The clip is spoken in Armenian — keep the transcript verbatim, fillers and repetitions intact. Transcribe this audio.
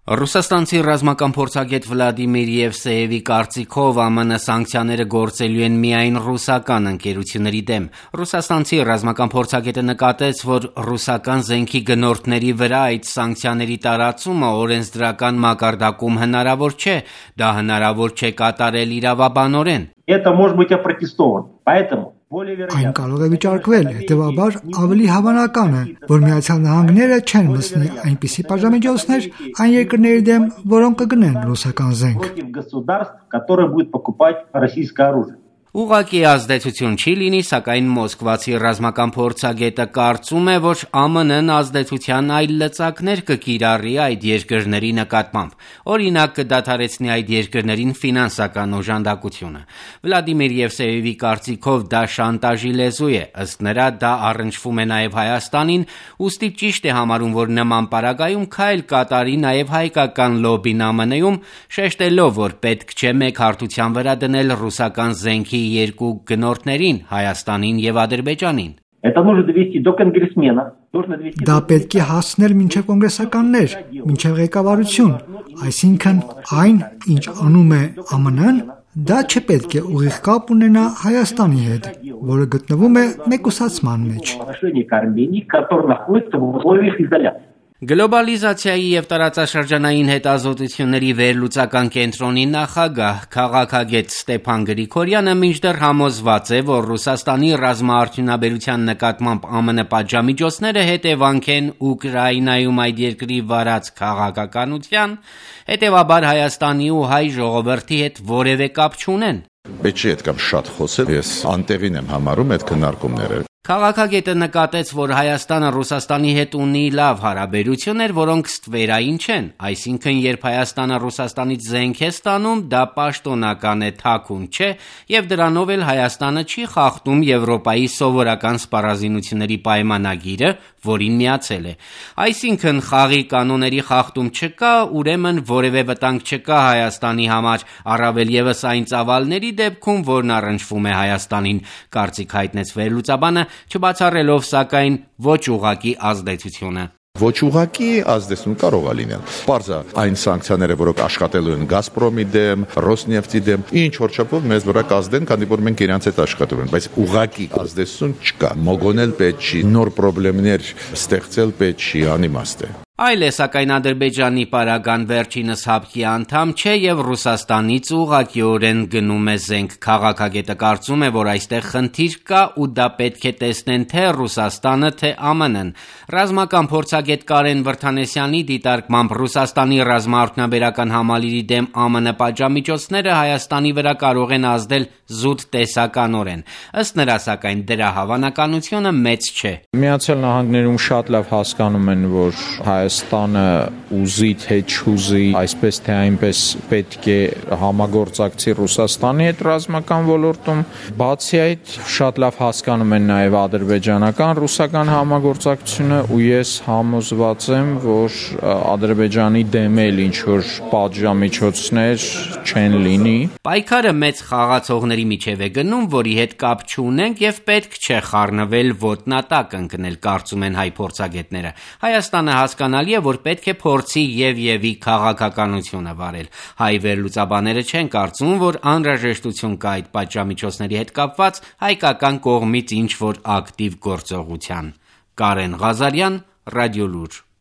Ռուսաստանցի ռազմական փորձագետ Վլադիմիր Եվսեևի կարծիքով ԱՄՆ սանկցիաները գործելու են միայն ռուսական ընկերությունների դեմ։ Ռուսաստանցի ռազմական փորձագետը նկատեց, որ ռուսական զենքի գնորդների վրա այդ սանկցիաների տարածումը օրենսդրական մակարդակում հնարավոր չէ, դա հնարավոր չէ կատարել իրավաբանորեն։ Это может быть опротестовано. Поэтому Այն կարող է վիճարկվել, հետևաբար ավելի հավանական է, որ Միացյալ Նահանգները չեն մտցնի այնպիսի պատժամիջոցներ այն երկրների դեմ, որոնք կգնեն ռուսական զենք։ против государств, которые будут покупать российское оружие. Ուղղակի ազդեցություն չի լինի, սակայն մոսկվացի ռազմական փորձագետը կարծում է, որ ԱՄՆ-ն ազդեցության այլ լծակներ կկիրառի այդ երկրների նկատմամբ։ Օրինակ կդադարեցնի այդ երկրներին ֆինանսական օժանդակությունը։ Վլադիմիր Եվսեևի կարծիքով դա շանտաժի լեզու է, ըստ նրա դա առնչվում է նաև Հայաստանին, ուստի ճիշտ է համարում, որ նման պարագայում քայլ կատարի նաև հայկական լոբին ԱՄՆ-ում, շեշտելով, որ պետք չէ մեկ հարթության վրա դնել ռուսական զենքի երկու գնորդներին Հայաստանին եւ Ադրբեջանին։ Это нужно довести до конгрессменов, нужно довести Դա պետք է հասնել մինչև կոնգրեսականներ, մինչև ղեկավարություն, այսինքն այն, ինչ անում է ԱՄՆ-ն, դա չպետք է ուղիղ կապ ունենա Հայաստանի հետ, որը գտնվում է մեկուսացման մեջ։ отношение к Армении, которое находится в условиях изоляции. Գլոբալիզացիայի եւ տարածաշրջանային հետազոտությունների վերլուծական կենտրոնի նախագահ քաղաքագետ Ստեփան Գրիգորյանը մինչդեռ համոզված է, որ Ռուսաստանի ռազմաարդյունաբերության նկատմամբ ԱՄՆ պատժամիջոցները հետևանք են Ուկրաինայում այդ երկրի վարած քաղաքականության, հետևաբար Հայաստանի ու հայ ժողովրդի հետ որևէ կապ չունեն։ Պետք չէ այդ կամ շատ խոսել, ես անտեղին եմ համարում այդ քննարկումները։ Քաղաքագետը նկատեց, որ Հայաստանը Ռուսաստանի հետ ունի լավ հարաբերություններ, որոնք ստվերային չեն, այսինքն երբ Հայաստանը Ռուսաստանից զենք է ստանում, դա պաշտոնական է, թաքուն չէ, եւ դրանով էլ Հայաստանը չի խախտում Եվրոպայի սովորական սպառազինությունների պայմանագիրը, որին միացել է։ Այսինքն խաղի կանոնների խախտում չկա, ուրեմն որևէ վտանգ չկա Հայաստանի համար, առավել եւս այն ծավալների դեպքում, որն առնչվում է Հայաստանին, կարծիք հայտնեց վերլուծաբանը, չբացառելով սակայն ոչ ուղղակի ազդեցությունը։ Ոչ ուղղակի ազդեցություն կարող է լինել։ Պարզ է այն սանկցիաները, որոնք աշխատելու են Գազպրոմի դեմ, Ռոսնեֆտի դեմ, ինչ որ չափով մեզ վրա կազդեն, քանի որ մենք իրancs հետ աշխատում ենք, բայց ուղղակի ազդեցություն չկա։ Մոգոնել պետք չի, նոր խնդիրներ ստեղծել պետք չի, անիմաստ է։ Այլ է, սակայն Ադրբեջանի պարագան վերջինս հապկի անդամ չէ եւ Ռուսաստանից ուղղակիորեն գնում է զենք։ Քաղաքագետը կարծում է, որ այստեղ խնդիր կա ու դա պետք է տեսնեն թե Ռուսաստանը, թե ԱՄՆ-ն։ Ռազմական փորձագետ Կարեն Վրդանեսյանի դիտարկմամբ Ռուսաստանի ռազմաարդյունաբերական համալիրի դեմ ԱՄՆ պատժամիջոցները Հայաստանի վրա կարող են ազդել զուտ տեսականորեն։ Ըստ նրա, սակայն դրա հավանականությունը մեծ չէ։ Միացյալ Նահանգներում շատ լավ հասկանում են, որ Հայաստանը ուզի թե չուզի, այսպես թե այնպես պետք է համագործակցի Ռուսաստանի հետ ռազմական ոլորտում։ Բացի այդ, շատ լավ հասկանում են նաև ադրբեջանական ռուսական համագործակցությունը ու ես համոզված եմ, որ Ադրբեջանի դեմ էլ ինչ որ պատժամիջոցներ չեն լինի։ Պայքարը մեծ խաղացողների միջև է գնում, որի հետ կապ չունենք եւ պետք չէ խառնվել ոտնատակ ընկնել, կարծում են հայ փորձագետները։ Հայաստանը հասկանալի է, որ պետք է փորձի եւ եւի քաղաքականությունը վարել։ Հայ վերլուծաբաները չեն կարծում, որ անհրաժեշտություն կա այդ պատժամիջոցների հետ կապված հայկական կողմից ինչ որ ակտիվ գործողության։ Կարեն Ղազարյան, Ռադիոլուր։